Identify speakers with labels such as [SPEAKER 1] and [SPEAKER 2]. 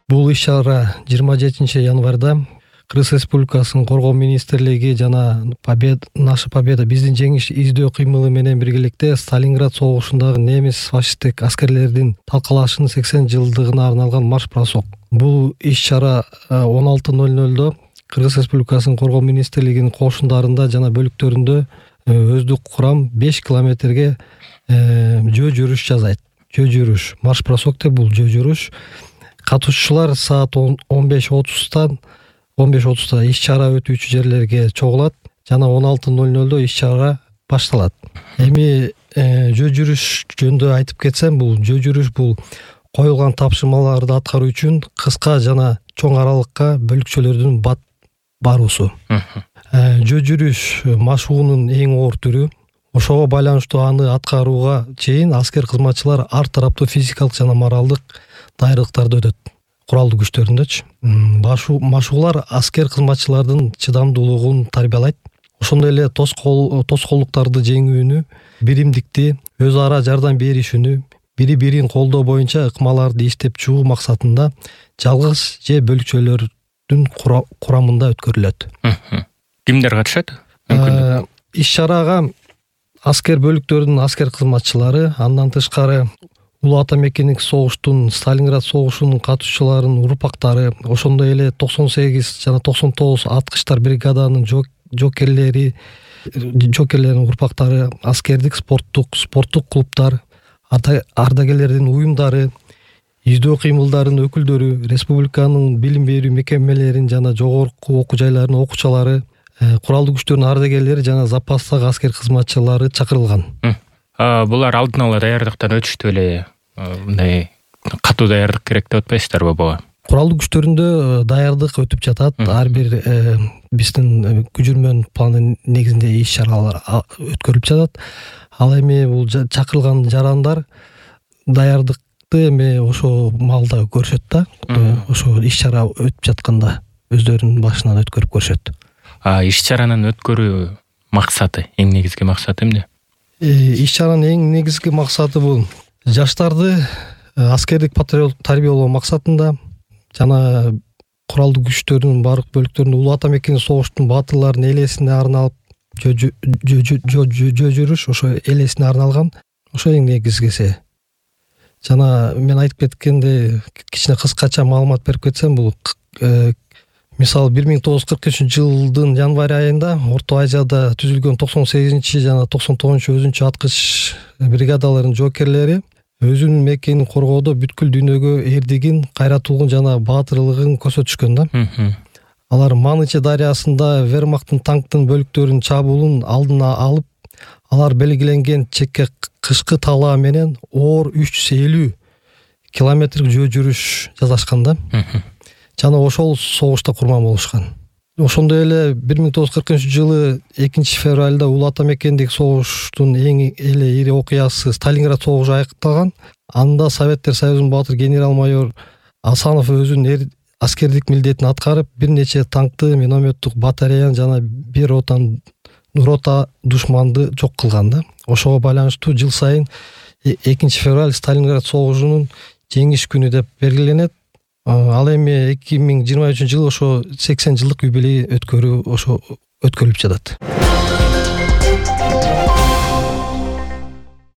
[SPEAKER 1] Бул иш-чара 27 январда Кыргыз Республикасынын Коргоо министрлиги жана Наша Победа биздин жеңиш издөө кыймылы менен биргеликте Сталинград согушундагы немис фашисттик аскерлердин талкалашынын 80 жылдыгына арналган марш-бросок. Бул иш-чара 16:00 Кыргыз Республикасынын Коргоо министрлигинин кошундарында жана бөлүктөрүндө өздүк курам 5 километрге жөө жүрүш жасайт. Жөө жүрүш, марш-бросок деп бул жөө жүрүш. Катышуучулар саат 15:30 иш-чара өтүүчү жерлерге чогулат жана 16:00 иш-чара башталат. Эми жөө жүрүш жөнүндө айтып кетсем, бул жөө жүрүш бул коюлган тапшырмаларды аткаруу үчүн кыска жана чоң аралыкка бөлүкчөлөрдүн баруусу. Жөө жүрүш машыгуунун эң оор түрү. Ошого байланыштуу аны аткарууга чейин аскер кызматчылар ар тараптуу физикалык жана моралдык дайрылыктарды өтөт. Куралдуу күчтөрүндөчү. Машыгуулар аскер кызматчылардын чыдамдуулугун тарбиялайт. Ошондой эле тоскоолдуктарды жеңүүнү, биримдикти, өз ара жардам беришүүнү, бири-бирин колдоо боюнча ыкмаларды иштеп чыгуу максатында жалгыз же бөлүкчөлөрдүн курамында өткөрүлөт.
[SPEAKER 2] Кимдер катышат?
[SPEAKER 1] Иш-чарага аскер бөлүктөрүнүн аскер кызматчылары, андан тышкары Улуу Ата Мекендик согуштун, Сталинград согушунун катышуучуларынын урпактары, ошондой эле 98 жана 99 аткычтар бригаданын жокерлеринин урпактары, аскердик спорттук клубдар, ардагерлердин уюмдары, издөө кыймылдарынын өкүлдөрү, республиканын билим берүү мекемелеринин жана жогорку окуу жайларынын окуучулары, куралдуу күчтөрдүн ардагерлери жана запастагы аскер кызматчылары чакырылган.
[SPEAKER 2] Булар алдын ала даярдыктан өтүштү эле, мындай катуу даярдык керек деп атпайсыздарбы буга?
[SPEAKER 1] Куралдуу күчтөрүндө даярдык өтүп жатат. Ар бир биздин күжүрмөнүн планы негизинде иш-чаралар өткөрүлүп жатат. Ал эми бул чакырылган жарандар даярдыкты эми ошо маалда көрүшөт да. Ошо иш-чара өтүп жатканда өздөрүнүн башынан өткөрүп көрүшөт.
[SPEAKER 2] Иш-чаранын өткөрүү максаты, эң негизги максаты эмне?
[SPEAKER 1] Иш-чаранын эң негизги максаты бул жаштарды аскердик патриоттук тарбиялоо максатында жана куралдуу күчтөрдүн баардык бөлүктөрүнүн Улуу Ата Мекендик согуштун баатырларынын элесине арналып жөө жүрүш, ошо элесине арналган, ошо эң негизгиси. Жана мен айтып кеткендей кичине кыскача маалымат берип кетсем, бул мисалы 1943 январь айында Орто Азияда түзүлгөн 98 жана 99 өзүнчө аткыч бригадаларынын жоокерлери өзүнүн мекенин коргоодо бүткүл дүйнөгө эрдигин, кайратуулугун жана баатырлыгын көрсөтүшкөн да. Алар Маныча дарыясында вермахттын танктын бөлүктөрүнүн чабуулун алдына алып, алар белгиленген чекке кышкы талаа менен оор 350 километрлик жөө жүрүш жасашкан да. Жана ошол согушта курман болушкан. Ошондой эле 1940 2 февралда Улуу Ата Мекендик согуштун эң эле ири окуясы Сталинград согушу аякталган. Анда Советтер Союзунун баатыр генерал-майор Асанов өзүнүн аскердик милдетин аткарып, бир нече танкты, минометтук батареяны жана бир рота душманды жок кылган да. Ошого байланыштуу жыл сайын 2 февраль Сталинград согушунун жеңиш күнү деп белгиленет. Ал эми 2023 ошо 80 жылдык юбилей өткөрүлүп жатат.